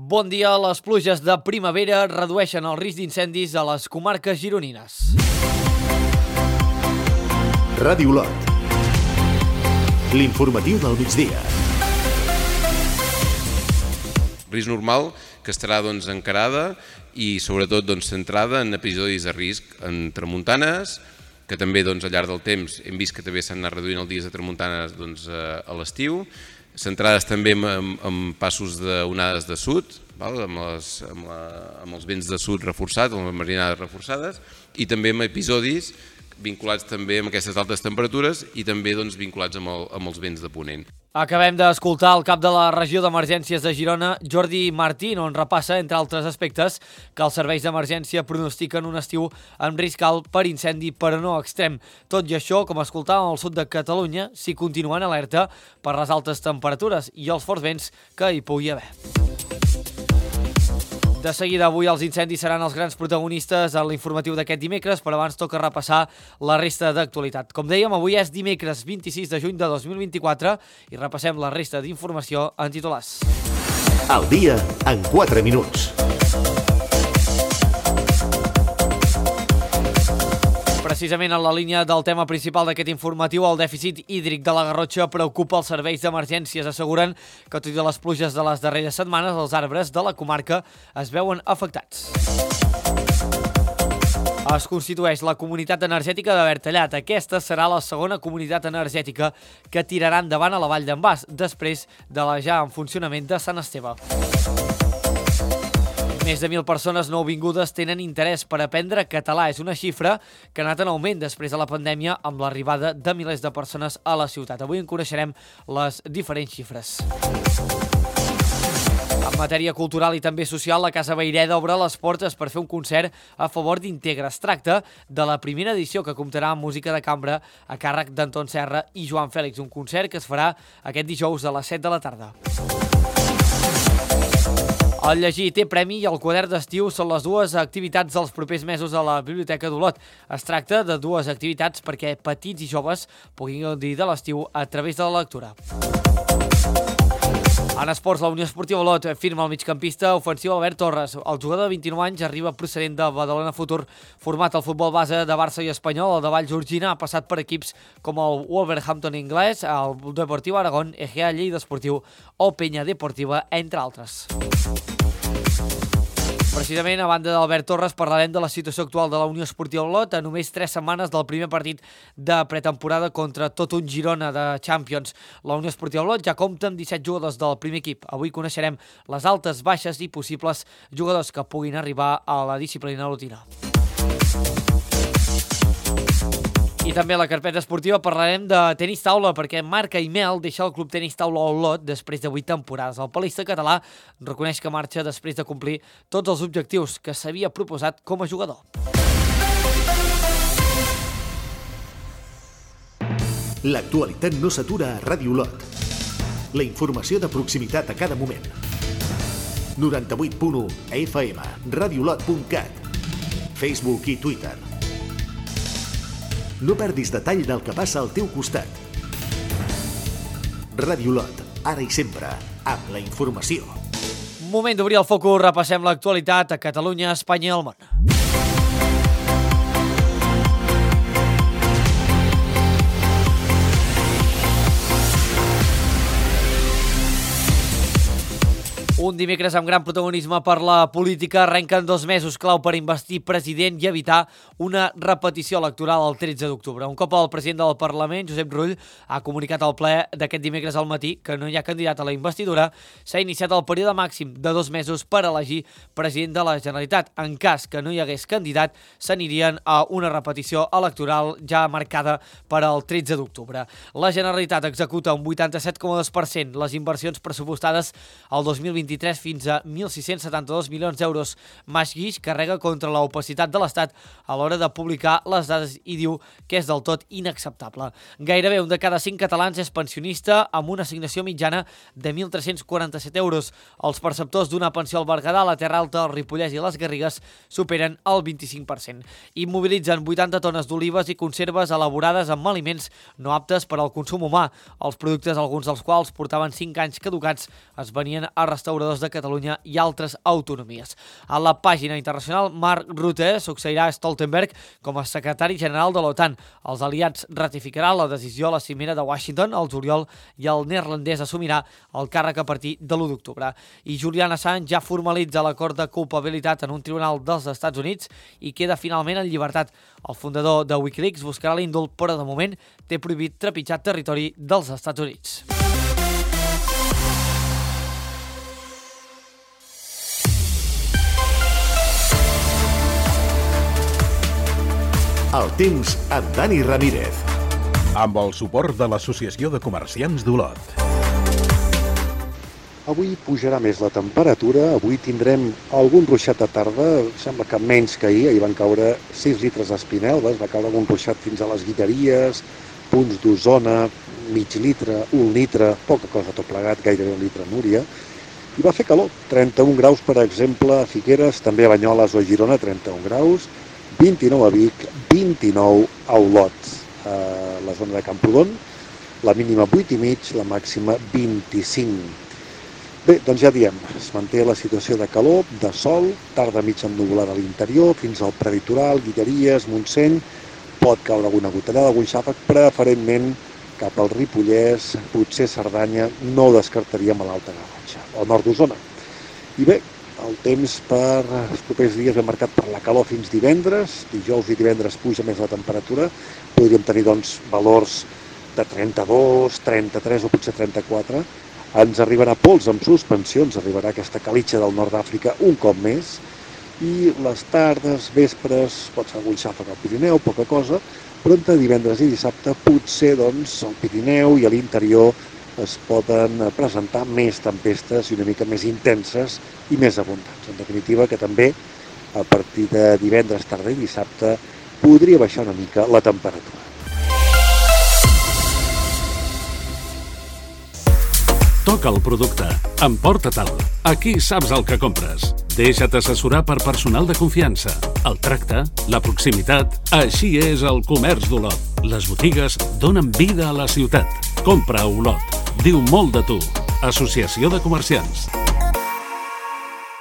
Bon dia. Les pluges de primavera redueixen el risc d'incendis a les comarques gironines. Ràdio Olot. L'informatiu del migdia. Risc normal que estarà encarada i sobretot centrada en episodis de risc en tramuntanes, que també al llarg del temps hem vist que també s'han anat reduint els dies de tramuntanes a l'estiu, centrades també en passos d'onades de sud, amb els vents de sud reforçats, amb les marinades reforçades, i també amb episodis vinculats també amb aquestes altes temperatures i també vinculats amb els vents de ponent. Acabem d'escoltar el cap de la regió d'emergències de Girona, Jordi Martín, on repassa, entre altres aspectes, que els serveis d'emergència pronostiquen un estiu amb risc alt per incendi, però no extrem. Tot i això, com escoltàvem al sud de Catalunya, s'hi continuen alerta per les altes temperatures i els forts vents que hi pugui haver. De seguida, avui els incendis seran els grans protagonistes en l'informatiu d'aquest dimecres, però abans toca repassar la resta d'actualitat. Com dèiem, avui és dimecres 26 de juny de 2024 i repassem la resta d'informació en titulars. El dia en 4 minuts. Precisament en la línia del tema principal d'aquest informatiu, el dèficit hídric de la Garrotxa preocupa els serveis d'emergències. Asseguren que, tot i les pluges de les darreres setmanes, els arbres de la comarca es veuen afectats. Es constitueix la comunitat energètica de Bertallat. Aquesta serà la segona comunitat energètica que tirarà endavant a la Vall d'en Bas, després de la ja en funcionament de Sant Esteve. Més de 1.000 persones nouvingudes tenen interès per aprendre català. És una xifra que ha anat en augment després de la pandèmia amb l'arribada de milers de persones a la ciutat. Avui en coneixerem les diferents xifres. En matèria cultural i també social, la Casa Vayreda obre les portes per fer un concert a favor d'Integra. Es tracta de la primera edició que comptarà amb música de cambra a càrrec d'Anton Serra i Joan Fèlix, un concert que es farà aquest dijous a les 7 de la tarda. El llegir té premi i el quadern d'estiu són les dues activitats dels propers mesos a la Biblioteca d'Olot. Es tracta de dues activitats perquè petits i joves puguin gaudir de l'estiu a través de la lectura. En esports, la Unió Esportiva Olot firma el migcampista ofensiu Albert Torres. El jugador de 29 anys arriba procedent de Badalona Futur, format al futbol base de Barça i Espanyol. El de Vallgorguina ha passat per equips com el Wolverhampton anglès, el Deportiu Aragón, Egea Lleida Esportiu o Penya Deportiva, entre altres. Precisament, a banda d'Albert Torres, parlarem de la situació actual de la Unió Esportiva Olot a només 3 setmanes del primer partit de pretemporada contra tot un Girona de Champions. La Unió Esportiva Olot ja compta amb 17 jugadors del primer equip. Avui coneixerem les altes, baixes i possibles jugadors que puguin arribar a la disciplina olotina. I també a la carpeta esportiva parlarem de tenis taula, perquè Marc Aimel deixa el club tenis taula Olot després de 8 temporades. El palista català reconeix que marxa després de complir tots els objectius que s'havia proposat com a jugador. L'actualitat no s'atura a Ràdio Olot. La informació de proximitat a cada moment. 98.1 FM, radioolot.cat, Facebook i Twitter. No perdis detall del que passa al teu costat. Ràdio Olot, ara i sempre, amb la informació. Moment d'obrir el focus, repassem l'actualitat a Catalunya, Espanya i el món. Un dimecres amb gran protagonisme per la política. Arrenquen 2 mesos clau per investir president i evitar una repetició electoral el 13 d'octubre. Un cop el president del Parlament, Josep Rull, ha comunicat al ple d'aquest dimecres al matí que no hi ha candidat a la investidura, s'ha iniciat el període màxim de 2 mesos per elegir president de la Generalitat. En cas que no hi hagués candidat, s'anirien a una repetició electoral ja marcada per al 13 d'octubre. La Generalitat executa un 87,2% les inversions pressupostades al 2023 fins a 1.672 milions d'euros. Mas Guix carrega contra l'opacitat de l'Estat a l'hora de publicar les dades i diu que és del tot inacceptable. Gairebé un de cada 5 catalans és pensionista amb una assignació mitjana de 1.347 euros. Els perceptors d'una pensió al Berguedà, la Terra Alta, el Ripollès i les Garrigues superen el 25%. Immobilitzen 80 tones d'olives i conserves elaborades amb aliments no aptes per al consum humà. Els productes, alguns dels quals portaven 5 anys caducats, es venien a restauradors treballadors de Catalunya i altres autonomies. A la pàgina internacional, Mark Rutte succeirà Stoltenberg com a secretari general de l'OTAN. Els aliats ratificaran la decisió a la cimera de Washington al juliol i el neerlandès assumirà el càrrec a partir de l'1 d'octubre. I Julian Assange ja formalitza l'acord de culpabilitat en un tribunal dels Estats Units i queda finalment en llibertat. El fundador de Wikileaks buscarà l'indult, però de moment té prohibit trepitjar territori dels Estats Units. El temps amb Dani Ramírez. Amb el suport de l'Associació de Comerciants d'Olot. Avui pujarà més la temperatura, avui tindrem algun ruixat de tarda, sembla que menys que ahir van caure 6 litres d'Espinelves, va caure algun ruixat fins a les Guilleries, punts d'Osona, mig litre, 1 litre, poca cosa tot plegat, gairebé 1 litre a Núria, i va fer calor, 31 graus per exemple a Figueres, també a Banyoles o a Girona, 31 graus, 29 a Vic, 29 a Olot, a la zona de Camprodon, la mínima 8,5, la màxima 25. Bé, doncs ja diem, es manté la situació de calor, de sol, tarda mig ennuvolada a l'interior, fins al preditoral, Guilleries, Montseny, pot caure alguna gotellada, algun xàfec, preferentment cap al Ripollès, potser Cerdanya, no ho descartaríem a l'Alta Garrotxa, al nord d'Osona. I bé, el temps per els propers dies ve marcat per la calor fins divendres, dijous i divendres puja més la temperatura, podríem tenir doncs valors de 32, 33 o potser 34, ens arribarà pols amb suspensions, arribarà aquesta calitxa del nord d'Àfrica un cop més, i les tardes, vespres, pot ser algun xàfec al Pirineu, poca cosa, però entre divendres i dissabte potser doncs al Pirineu i a l'interior es poden presentar més tempestes i una mica més intenses i més abundants. En definitiva, que també a partir de divendres, tarda i dissabte podria baixar una mica la temperatura. Toca el producte. Emporta-te'l. Aquí saps el que compres. Deixa't assessorar per personal de confiança. El tracte, la proximitat, així és el comerç d'Olot. Les botigues donen vida a la ciutat. Compra a Olot. Diu molt de tu. Associació de Comerciants.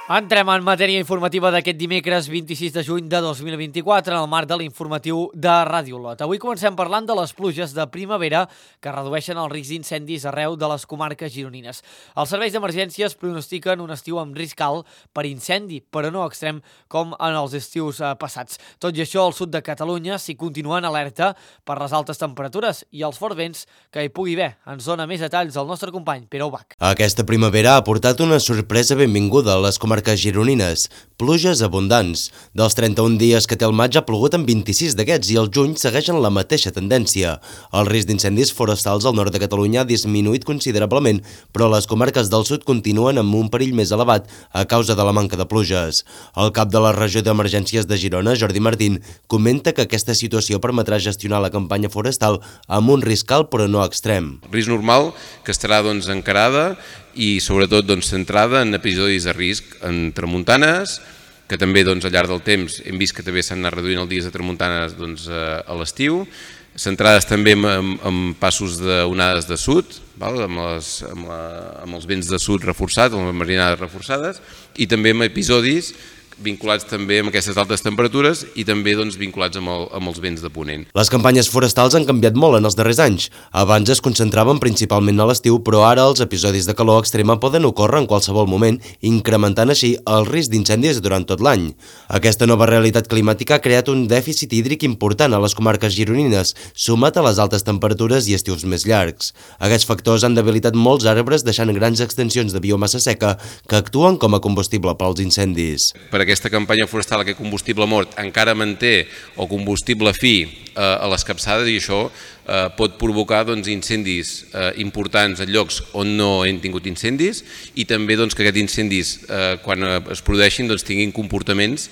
Entrem en matèria informativa d'aquest dimecres 26 de juny de 2024 en el marc de l'informatiu de Ràdio Olot. Avui comencem parlant de les pluges de primavera que redueixen el risc d'incendis arreu de les comarques gironines. Els serveis d'emergències pronostiquen un estiu amb risc alt per incendi, però no extrem com en els estius passats. Tot i això, al sud de Catalunya s'hi continua en alerta per les altes temperatures i els forts vents que hi pugui haver. Ens dona més detalls el nostre company, Pere Ubach. Aquesta primavera ha portat una sorpresa benvinguda a les comarques gironines, pluges abundants. Dels 31 dies que té el maig ha plogut en 26 d'aquests i el juny segueixen la mateixa tendència. El risc d'incendis forestals al nord de Catalunya ha disminuït considerablement, però les comarques del sud continuen amb un perill més elevat a causa de la manca de pluges. El cap de la regió d'emergències de Girona, Jordi Martín, comenta que aquesta situació permetrà gestionar la campanya forestal amb un risc alt però no extrem. Risc normal que estarà encarada i sobretot centrada en episodis de risc en tramuntanes, que també al llarg del temps hem vist que també s'han anat reduint els dies de tramuntanes a l'estiu, centrades també en passos d'onades de sud, amb els vents de sud reforçats, amb les marinades reforçades, i també en episodis vinculats també amb aquestes altes temperatures i també vinculats amb els vents de ponent. Les campanyes forestals han canviat molt en els darrers anys. Abans es concentraven principalment a l'estiu, però ara els episodis de calor extrema poden ocórrer en qualsevol moment, incrementant així el risc d'incendis durant tot l'any. Aquesta nova realitat climàtica ha creat un dèficit hídric important a les comarques gironines, sumat a les altes temperatures i estius més llargs. Aquests factors han debilitat molts arbres, deixant grans extensions de biomassa seca que actuen com a combustible pels incendis. Per aquesta campanya forestal, aquest combustible mort encara manté o combustible fi a les capçades i això pot provocar incendis importants en llocs on no hem tingut incendis i també que aquests incendis quan es produeixin tinguin comportaments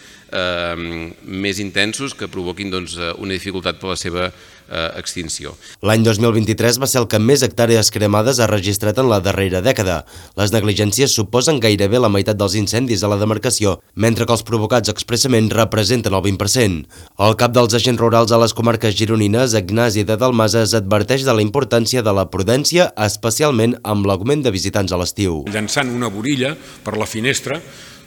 més intensos que provoquin una dificultat per la seva extinció. L'any 2023 va ser el que més hectàrees cremades ha registrat en la darrera dècada. Les negligències suposen gairebé la meitat dels incendis a la demarcació, mentre que els provocats expressament representen el 20%. El cap dels agents rurals a les comarques gironines, Ignasi de Dalmases, adverteix de la importància de la prudència, especialment amb l'augment de visitants a l'estiu. Llançant una borilla per la finestra,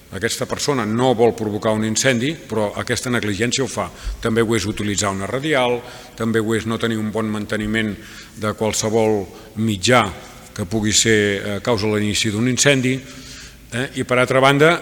aquesta persona no vol provocar un incendi, però aquesta negligència ho fa. També ho és utilitzar una radial, també ho és no tenir un bon manteniment de qualsevol mitjà que pugui ser a causa de l'inici d'un incendi. I per altra banda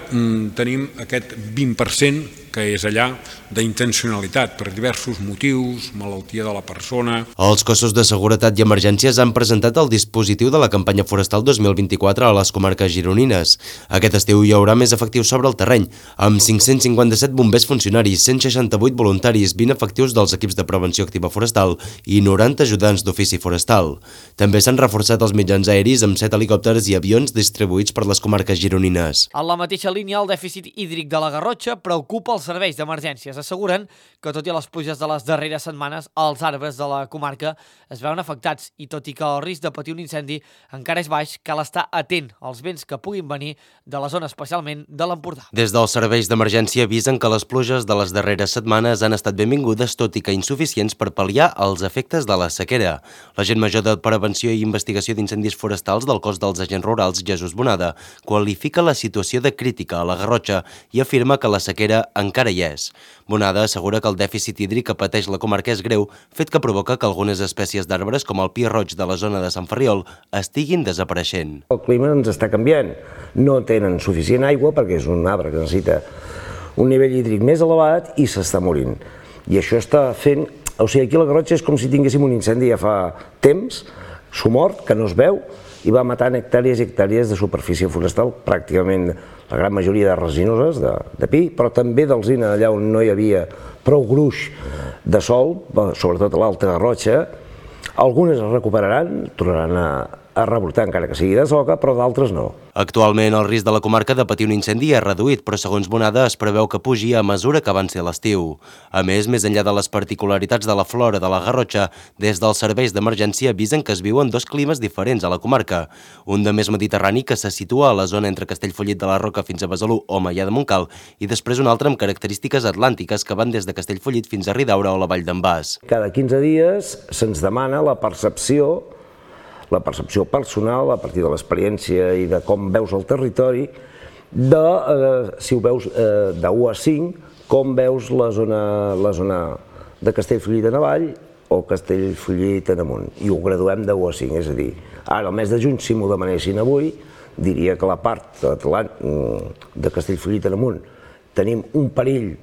tenim aquest 20% que és allà d'intencionalitat per diversos motius, malaltia de la persona. Els cossos de seguretat i emergències han presentat el dispositiu de la campanya forestal 2024 a les comarques gironines. Aquest estiu hi haurà més efectius sobre el terreny, amb 557 bombers funcionaris, 168 voluntaris, 20 efectius dels equips de prevenció activa forestal i 90 ajudants d'ofici forestal. També s'han reforçat els mitjans aeris amb 7 helicòpters i avions distribuïts per les comarques gironines. En la mateixa línia, el dèficit hídric de la Garrotxa preocupa els serveis d'emergències. Asseguren que, tot i les pluges de les darreres setmanes, els arbres de la comarca es veuen afectats i, tot i que el risc de patir un incendi encara és baix, cal estar atent als vents que puguin venir de la zona, especialment de l'Empordà. Des dels serveis d'emergència avisen que les pluges de les darreres setmanes han estat benvingudes, tot i que insuficients per pal·liar els efectes de la sequera. L'agent major de Prevenció i Investigació d'Incendis Forestals del cos dels agents rurals, Jesús Bonada, qualifica la situació de crítica a la Garrotxa i afirma que la sequera encara hi és. Bonada assegura que el dèficit hídric que pateix la comarca és greu, fet que provoca que algunes espècies d'arbres, com el pi roig de la zona de Sant Ferriol, estiguin desapareixent. El clima ens està canviant. No tenen suficient aigua perquè és un arbre que necessita un nivell hídric més elevat i s'està morint. I això està fent... O sigui, aquí a la Garrotxa és com si tinguéssim un incendi ja fa temps, somort, que no es veu, i va matant hectàrees i hectàrees de superfície forestal, pràcticament la gran majoria de resinoses, de pi, però també d'alzina, allà on no hi havia prou gruix de sol, sobretot a l'Alta Garrotxa. Algunes es recuperaran, tornaran a rebrotar, encara que sigui de soca, però d'altres no. Actualment, el risc de la comarca de patir un incendi és reduït, però segons Bonada es preveu que pugi a mesura que avanci l'estiu. A més enllà de les particularitats de la flora de la Garrotxa, des dels serveis d'emergència avisen que es viuen dos climes diferents a la comarca. Un de més mediterrani, que se situa a la zona entre Castellfollit de la Roca fins a Besalú o Maià de Montcal, i després un altre amb característiques atlàntiques que van des de Castellfollit fins a Ridaura o la Vall d'en Bas. Cada 15 dies se'ns demana la percepció personal, a partir de l'experiència i de com veus el territori, si ho veus de 1 a 5, com veus la zona de Castellfollit en avall o Castellfollit en amunt. I ho graduem de 1 a 5, és a dir, ara al mes de juny, si m'ho demanessin avui, diria que la part de Castellfollit en amunt tenim un perill,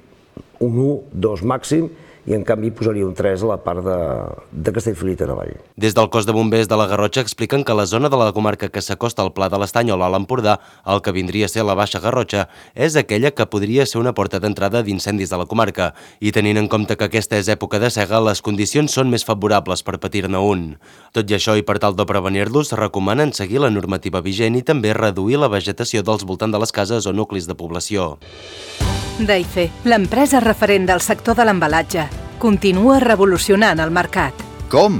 un 1, 2 màxim, i en canvi posaria un 3 a la part de Castellfollit en avall. Des del cos de bombers de la Garrotxa expliquen que la zona de la comarca que s'acosta al Pla de l'Estany o a l'Empordà, el que vindria a ser la Baixa Garrotxa, és aquella que podria ser una porta d'entrada d'incendis de la comarca, i tenint en compte que aquesta és època de sega, les condicions són més favorables per patir-ne un. Tot i això, i per tal de prevenir-los, recomanen seguir la normativa vigent i també reduir la vegetació dels voltants de les cases o nuclis de població. Daife, l'empresa referent del sector de l'embalatge, continua revolucionant el mercat. Com?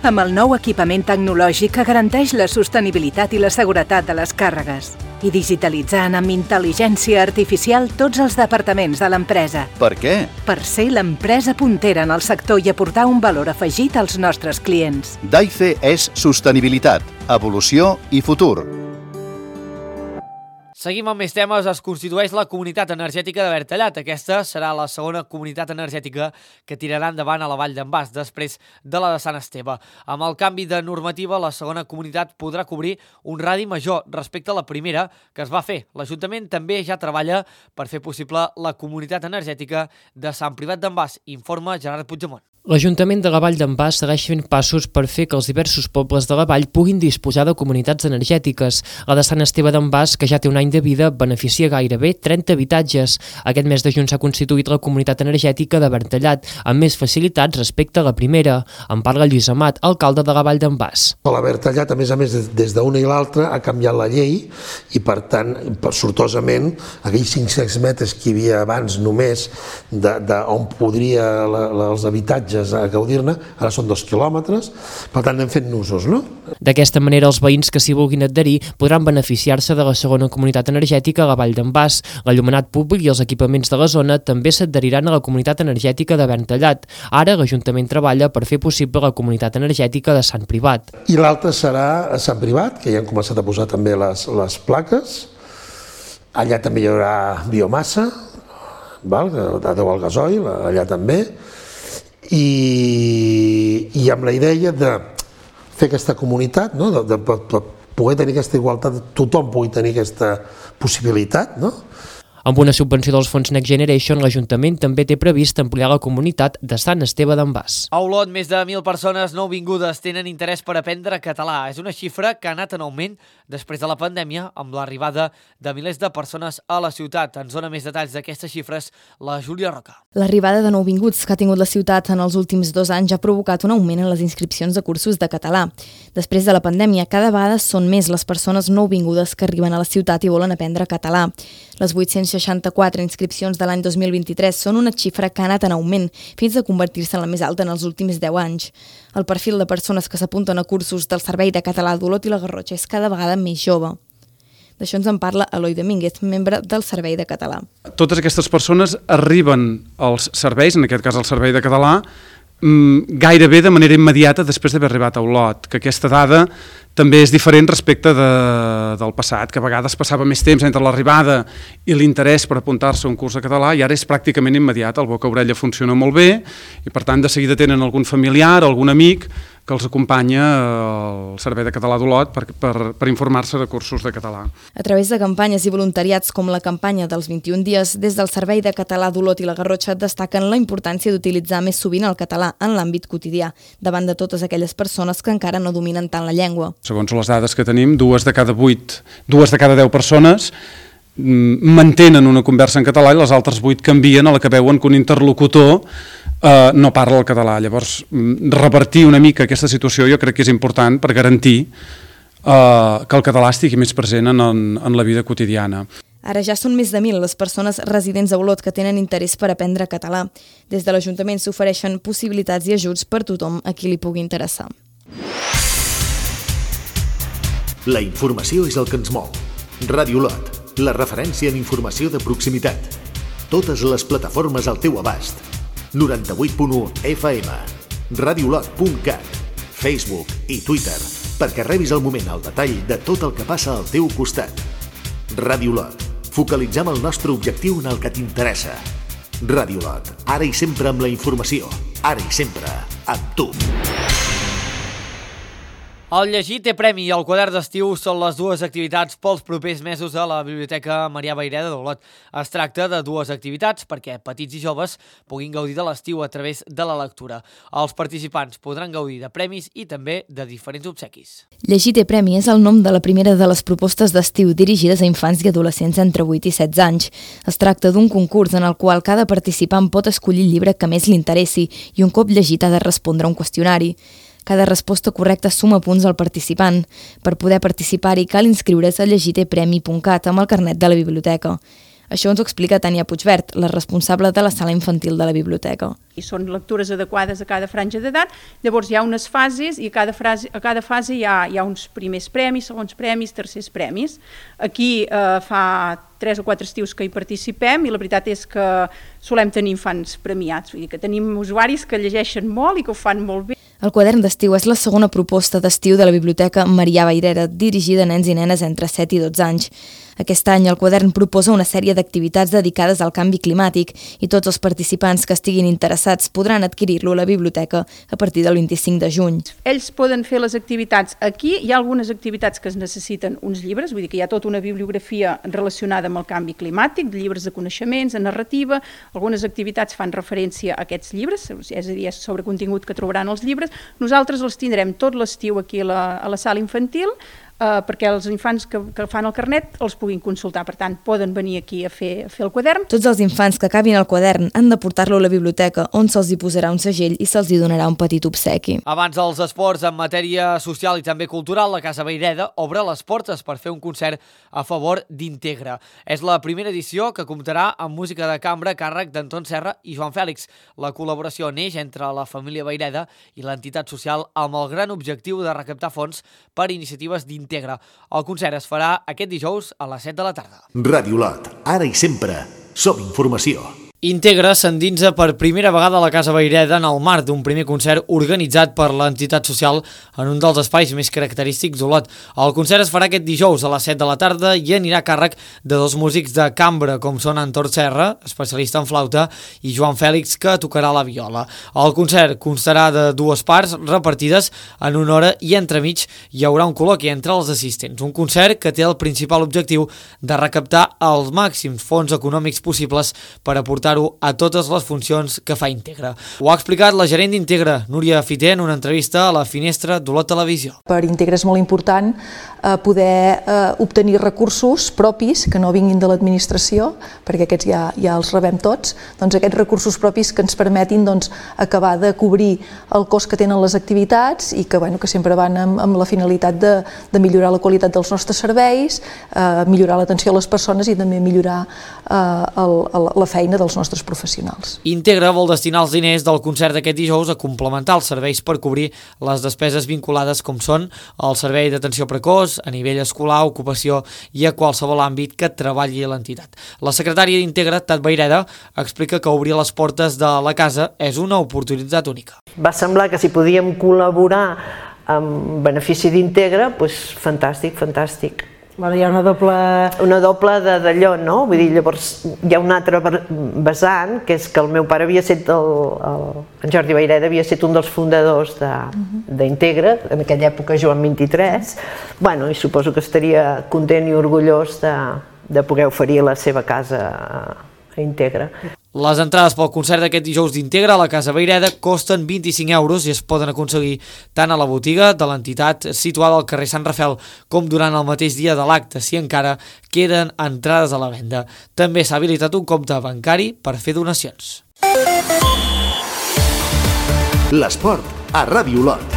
Amb el nou equipament tecnològic que garanteix la sostenibilitat i la seguretat de les càrregues i digitalitzant amb intel·ligència artificial tots els departaments de l'empresa. Per què? Per ser l'empresa puntera en el sector i aportar un valor afegit als nostres clients. Daife és sostenibilitat, evolució i futur. Seguim amb més temes. Es constitueix la Comunitat Energètica de Bertallat. Aquesta serà la segona comunitat energètica que tirarà endavant a la Vall d'en Bas, després de la de Sant Esteve. Amb el canvi de normativa, la segona comunitat podrà cobrir un radi major respecte a la primera que es va fer. L'Ajuntament també ja treballa per fer possible la comunitat energètica de Sant Privat d'en Bas, informa Gerard Puigdemont. L'Ajuntament de la Vall d'en Bas segueix fent passos per fer que els diversos pobles de la vall puguin disposar de comunitats energètiques. La de Sant Esteve d'en Bas, que ja té un any de vida, beneficia gairebé 30 habitatges. Aquest mes de juny s'ha constituït la comunitat energètica de Bertallat, amb més facilitats respecte a la primera. En parla Lluís Amat, alcalde de la Vall d'en Bas. La Bertallat, a més, des d'una i l'altra, ha canviat la llei i, per tant, sortosament, aquells 500 metres que hi havia abans només on podria els habitatges viatges a gaudir-ne, ara són 2 quilòmetres, per tant anem fent usos, no? D'aquesta manera, els veïns que s'hi vulguin adherir podran beneficiar-se de la segona comunitat energètica a la Vall d'en Bas. L'enllumenat públic i els equipaments de la zona també s'adheriran a la comunitat energètica de Verntallat. Ara l'Ajuntament treballa per fer possible la comunitat energètica de Sant Privat. I l'altre serà a Sant Privat, que ja han començat a posar també les plaques. Allà també hi haurà biomassa, que deu el gasoil, allà també, i amb la idea de fer aquesta comunitat, de poder tenir aquesta igualtat, tothom pugui tenir aquesta possibilitat, no? Amb una subvenció dels fons Next Generation, l'Ajuntament també té previst ampliar la comunitat de Sant Esteve d'en Bas. A Olot, més de 1.000 persones nouvingudes tenen interès per aprendre català. És una xifra que ha anat en augment després de la pandèmia, amb l'arribada de milers de persones a la ciutat. Ens dona més detalls d'aquestes xifres la Júlia Roca. L'arribada de nouvinguts que ha tingut la ciutat en els últims 2 anys ha provocat un augment en les inscripcions de cursos de català. Després de la pandèmia, cada vegada són més les persones nouvingudes que arriben a la ciutat i volen aprendre català. Les 864 inscripcions de l'any 2023 són una xifra que ha anat en augment, fins a convertir-se en la més alta en els últims 10 anys. El perfil de persones que s'apunten a cursos del Servei de Català d'Olot i la Garrotxa és cada vegada més jove. D'això ens en parla Eloi Domínguez, membre del Servei de Català. Totes aquestes persones arriben als serveis, en aquest cas al Servei de Català, gairebé de manera immediata després d'haver arribat a Olot, que aquesta dada també és diferent respecte del passat, que a vegades passava més temps entre l'arribada i l'interès per apuntar-se a un curs de català, i ara és pràcticament immediat, el boca-orella funciona molt bé, i per tant de seguida tenen algun familiar, algun amic, que els acompanya al Servei de Català d'Olot per informar-se de cursos de català. A través de campanyes i voluntariats com la campanya dels 21 dies, des del Servei de Català d'Olot i la Garrotxa destaquen la importància d'utilitzar més sovint el català en l'àmbit quotidià, davant de totes aquelles persones que encara no dominen tant la llengua. Segons les dades que tenim, 2 de cada 10 persones mantenen una conversa en català i les altres 8 canvien a la que veuen que un interlocutor no parla el català. Llavors, revertir una mica aquesta situació jo crec que és important per garantir que el català estigui més present en la vida quotidiana. Ara ja són més de 1.000 les persones residents a Olot que tenen interès per aprendre català. Des de l'Ajuntament s'ofereixen possibilitats i ajuts per tothom a qui li pugui interessar. La informació és el que ens mou. Ràdio Olot, la referència en informació de proximitat. Totes les plataformes al teu abast. 98.1 FM, radioolot.cat, Facebook i Twitter, perquè rebis al moment el detall de tot el que passa al teu costat. Ràdio Olot, focalitzem el nostre objectiu en el que t'interessa. Ràdio Olot, ara i sempre amb la informació, ara i sempre amb tu. El llegir té premi i el quadern d'estiu són les 2 activitats pels propers mesos a la Biblioteca Marià Vayreda d'Olot. Es tracta de 2 activitats perquè petits i joves puguin gaudir de l'estiu a través de la lectura. Els participants podran gaudir de premis i també de diferents obsequis. Llegir té premi és el nom de la primera de les propostes d'estiu dirigides a infants i adolescents entre 8 i 16 anys. Es tracta d'un concurs en el qual cada participant pot escollir el llibre que més li interessi i un cop llegit ha de respondre a un qüestionari. Cada resposta correcta suma punts al participant. Per poder participar-hi cal inscriure's a llegitepremi.cat amb el carnet de la biblioteca. Això ens ho explica Tània Puigvert, la responsable de la sala infantil de la biblioteca. I són lectures adequades a cada franja d'edat, llavors hi ha unes fases i a cada fase hi ha uns primers premis, segons premis, tercers premis. Aquí fa 3 o 4 estius que hi participem i la veritat és que solem tenir infants premiats, vull dir que tenim usuaris que llegeixen molt i que ho fan molt bé. El quadern d'estiu és la segona proposta d'estiu de la Biblioteca Marià Vayreda, dirigida a nens i nenes entre 7 i 12 anys. Aquest any el quadern proposa una sèrie d'activitats dedicades al canvi climàtic i tots els participants que estiguin interessats podran adquirir-lo a la biblioteca a partir del 25 de juny. Ells poden fer les activitats aquí, hi ha algunes activitats que es necessiten uns llibres, vull dir que hi ha tota una bibliografia relacionada amb el canvi climàtic, llibres de coneixements, de narrativa, algunes activitats fan referència a aquests llibres, és a dir, és sobre contingut que trobaran els llibres. Nosaltres els tindrem tot l'estiu aquí a la sala infantil, perquè els infants que fan el carnet els puguin consultar. Per tant, poden venir aquí a fer el quadern. Tots els infants que acabin el quadern han de portar-lo a la biblioteca, on se'ls hi posarà un segell i se'ls hi donarà un petit obsequi. Abans dels esports en matèria social i també cultural, la Casa Vayreda obre les portes per fer un concert a favor d'Integra. És la primera edició que comptarà amb música de cambra a càrrec d'Anton Serra i Joan Fèlix. La col·laboració neix entre la família Vayreda i l'entitat social amb el gran objectiu de recaptar fons per iniciatives d'Integra. El concert es farà aquest dijous a les 7 de la tarda. Ràdio Lot, ara i sempre, som informació. Integra s'endinsa per primera vegada a la Casa Vayreda en el marc d'un primer concert organitzat per l'entitat social en un dels espais més característics d'Olot. El concert es farà aquest dijous a les 7 de la tarda i anirà a càrrec de dos músics de cambra, com són Anton Serra, especialista en flauta, i Joan Fèlix, que tocarà la viola. El concert constarà de dues parts repartides en una hora i entremig hi haurà un col·loqui entre els assistents. Un concert que té el principal objectiu de recaptar els màxims fons econòmics possibles per aportar a totes les funcions que fa Integra. Ho ha explicat la gerent d'Integra, Núria Fiter, en una entrevista a la Finestra d'Olot Televisió. Per Integra és molt important poder obtenir recursos propis que no vinguin de l'administració, perquè aquests ja els rebem tots, doncs aquests recursos propis que ens permetin acabar de cobrir el cost que tenen les activitats i que sempre van amb la finalitat de millorar la qualitat dels nostres serveis, millorar l'atenció a les persones i també millorar la feina dels nostres professionals. Integra vol destinar els diners del concert d'aquest dijous a complementar els serveis per cobrir les despeses vinculades com són el servei d'atenció precoç, a nivell escolar, ocupació i a qualsevol àmbit que treballi l'entitat. La secretària d'Integra, Tat Vayreda, explica que obrir les portes de la casa és una oportunitat única. Va semblar que si podíem col·laborar amb benefici d'Integra, doncs fantàstic, fantàstic. Hi ha una doble d'allò, no? Vull dir, llavors hi ha un altre vessant, que és que el meu pare havia estat, en Jordi Vayreda havia estat un dels fundadors d'Integra, en aquella època jo en 23, i suposo que estaria content i orgullós de poder oferir la seva casa a Integra. Les entrades pel concert d'aquest dijous d'Integra a la Casa Vayreda costen 25 € i es poden aconseguir tant a la botiga de l'entitat situada al carrer Sant Rafel com durant el mateix dia de l'acte, si encara queden entrades a la venda. També s'ha habilitat un compte bancari per fer donacions. L'esport a Ràdio Olot.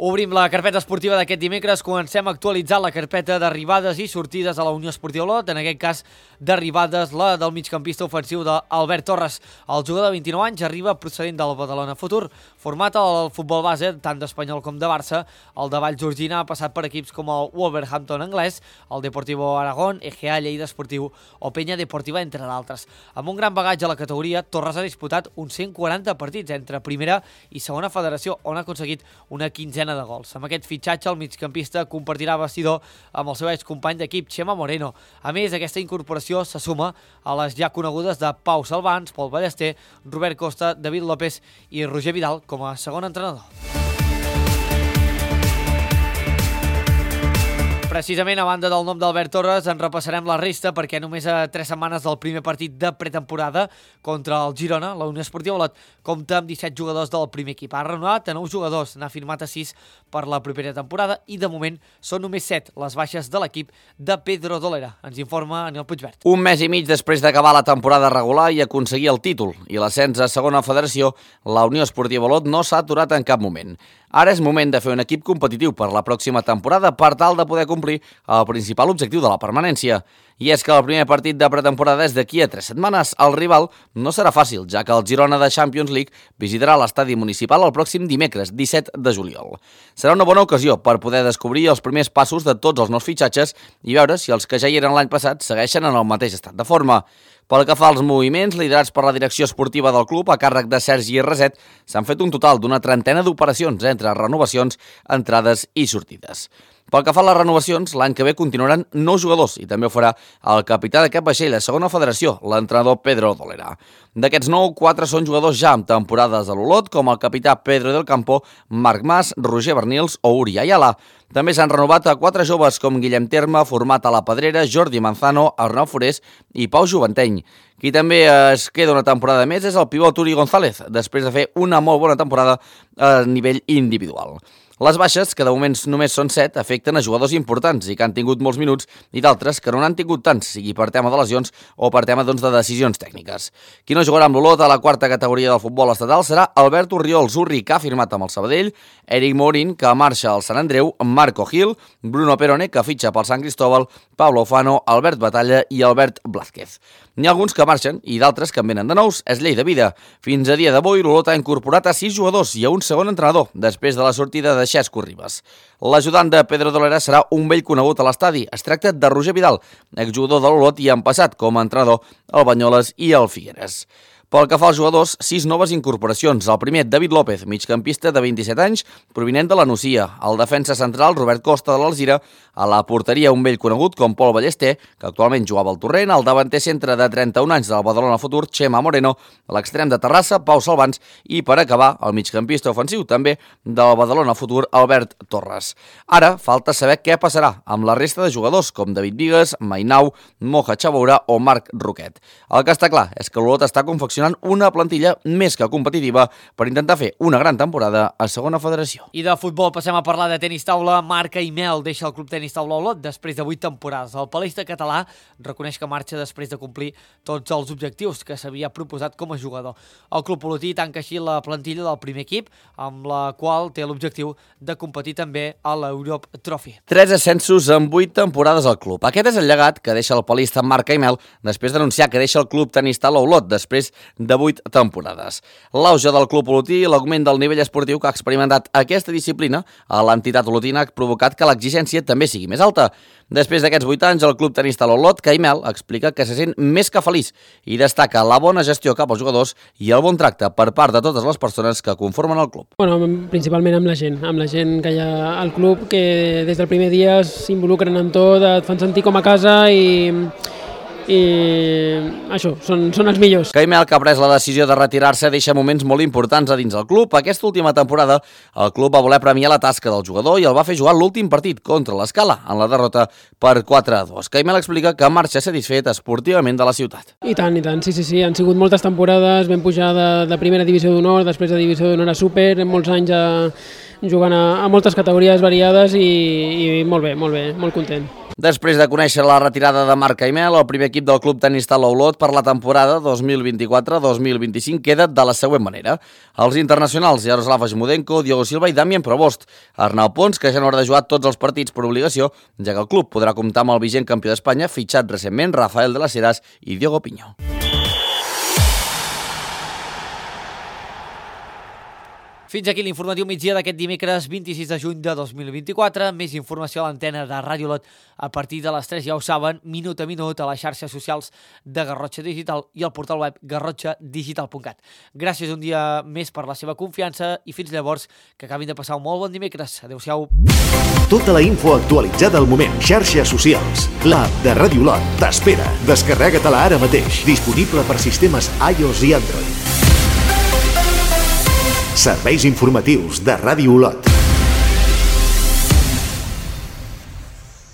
Obrim la carpeta esportiva d'aquest dimecres. Comencem a actualitzar la carpeta d'arribades i sortides a la Unió Esportiva Olot. En aquest cas, d'arribades, la del migcampista ofensiu d'Albert Torres. El jugador de 29 anys arriba procedent del Badalona Futur. Format al futbol base, tant d'Espanyol com de Barça, el de Vallgorguina ha passat per equips com el Wolverhampton anglès, el Deportivo Aragón, EGA Lleida Esportiu o Penya Deportiva, entre d'altres. Amb un gran bagatge a la categoria, Torres ha disputat uns 140 partits entre primera i segona federació, on ha aconseguit una quinzena de gols. Amb aquest fitxatge, el migcampista compartirà vestidor amb el seu excompany d'equip, Chema Moreno. A més, aquesta incorporació se suma a les ja conegudes de Pau Salvans, Pol Ballester, Robert Costa, David López i Roger Vidal com a segon entrenador. Precisament, a banda del nom d'Albert Torres, en repassarem la resta perquè només a 3 setmanes del primer partit de pretemporada contra el Girona, la Unió Esportiva Olot compta amb 17 jugadors del primer equip. Ha renovat a 9 jugadors, n'ha firmat a 6 per la propera temporada i de moment són només 7 les baixes de l'equip de Pedro Dolera. Ens informa Anil Puigvert. Un mes i mig després d'acabar la temporada regular i aconseguir el títol i l'ascens a segona federació, la Unió Esportiva Olot no s'ha aturat en cap moment. Ara és moment de fer un equip competitiu per la pròxima temporada per tal de poder complir el principal objectiu de la permanència. I és que el primer partit de pretemporada és d'aquí a 3 setmanes. El rival no serà fàcil, ja que el Girona de Champions League visitarà l'estadi municipal el pròxim dimecres, 17 de juliol. Serà una bona ocasió per poder descobrir els primers passos de tots els nous fitxatges i veure si els que ja hi eren l'any passat segueixen en el mateix estat de forma. Pel que fa als moviments liderats per la direcció esportiva del club a càrrec de Sergi Reset, s'han fet un total d'una trentena d'operacions entre renovacions, entrades i sortides. Pel que fa a les renovacions, l'any que ve continuaran 9 jugadors i també ho farà el capità d'aquest vaixell a segona federació, l'entrenador Pedro Dolera. D'aquests 9, 4 són jugadors ja amb temporades a l'Olot, com el capità Pedro del Campo, Marc Mas, Roger Bernils o Uri Ayala. També s'han renovat a 4 joves com Guillem Terme, format a la Pedrera, Jordi Manzano, Arnau Forés i Pau Juventeny. Qui també es queda una temporada més és el pivot Uri González, després de fer una molt bona temporada a nivell individual. Les baixes, que de moment només són 7, afecten a jugadors importants i que han tingut molts minuts i d'altres que no n'han tingut tants, sigui per tema de lesions o per tema de decisions tècniques. Qui no jugarà amb l'Olot a la 4ª categoria del futbol estatal serà Albert Urriol Zurri, que ha firmat amb el Sabadell, Eric Morin, que marxa al Sant Andreu, Marco Gil, Bruno Perone, que fitxa pel Sant Cristóbal, Pablo Ofano, Albert Batalla i Albert Blázquez. N'hi ha alguns que marxen i d'altres que en venen de nous, és llei de vida. Fins a dia d'avui, l'Olot ha incorporat a 6 jugadors i a un segon entrenador, després de la sortida de Xesco Ribas. L'ajudant de Pedro Dolera serà un vell conegut a l'estadi. Es tracta de Roger Vidal, exjugador de l'Olot i en passat com a entrenador al Banyoles i al Figueres. Pel que fa als jugadors, 6 noves incorporacions. El primer, David López, migcampista de 27 anys, provinent de la Nucia. El defensa central, Robert Costa, de l'Alzira. A la porteria, un vell conegut com Pol Ballester, que actualment jugava al Torrent. El davanter centre de 31 anys del Badalona Futur, Chema Moreno. L'extrem de Terrassa, Pau Salvans. I per acabar, el migcampista ofensiu també del Badalona Futur, Albert Torres. Ara, falta saber què passarà amb la resta de jugadors, com David Vigues, Mainau, Moja Chaboura o Marc Roquet. El que està clar és que l'Olot està confeccionant una plantilla més que competitiva per intentar fer una gran temporada a segona federació. I de futbol passem a parlar de tenis taula. Marc Aimel deixa el club tenis taula Olot després de 8 temporades. El palesta català reconeix que marxa després de complir tots els objectius que s'havia proposat com a jugador. El club olotí tanca així la plantilla del primer equip, amb la qual té l'objectiu de competir també a l'Europe Trophy. 3 ascensos en 8 temporades al club. Aquest és el llegat que deixa el palista Marc Aimel després d'anunciar que deixa el club tenis taula Olot després de 8 temporades. L'auge del club olotí i l'augment del nivell esportiu que ha experimentat aquesta disciplina a l'entitat olotina ha provocat que l'exigència també sigui més alta. Després d'aquests 8 anys, el club tenis taula Olot, Aimel, explica que se sent més que feliç i destaca la bona gestió cap als jugadors i el bon tracte per part de totes les persones que conformen el club. Bueno, principalment amb la gent que hi ha al club, que des del primer dia s'involucren en tot, et fan sentir com a casa i això, són els millors. Aimel, que ha pres la decisió de retirar-se, deixa moments molt importants a dins del club. Aquesta última temporada, el club va voler premiar la tasca del jugador i el va fer jugar l'últim partit contra l'Escala, en la derrota per 4-2. Aimel explica que marxa satisfet esportivament de la ciutat. I tant, sí. Han sigut moltes temporades, vam pujar de primera divisió d'honor, després de divisió d'honor a súper, molts anys jugant a moltes categories variades i molt bé, molt content. Després de conèixer la retirada de Marc Aimel, el primer equip del club tenis taula Olot per la temporada 2024-2025 queda de la següent manera. Els internacionals Jaroslav Ajmudenko, Diogo Silva i Damien Provost. Arnau Pons, que ja no haurà de jugar tots els partits per obligació, ja que el club podrà comptar amb el vigent campió d'Espanya, fitxat recentment Rafael de las Heras i Diogo Piño. Fins aquí l'informatiu migdia d'aquest dimecres 26 de juny de 2024. Més informació a l'antena de Ràdio Olot a partir de les 3, ja ho saben, minut a minut a les xarxes socials de Garrotxa Digital i al portal web garrotxadigital.cat. Gràcies un dia més per la seva confiança i fins llavors que acabin de passar un molt bon dimecres. Adéu-siau. Tota la info actualitzada al moment. Xarxes socials. L'app de Ràdio Olot t'espera. Descarrega-te-la ara mateix. Disponible per sistemes iOS i Android. Serveis informatius de Ràdio Olot.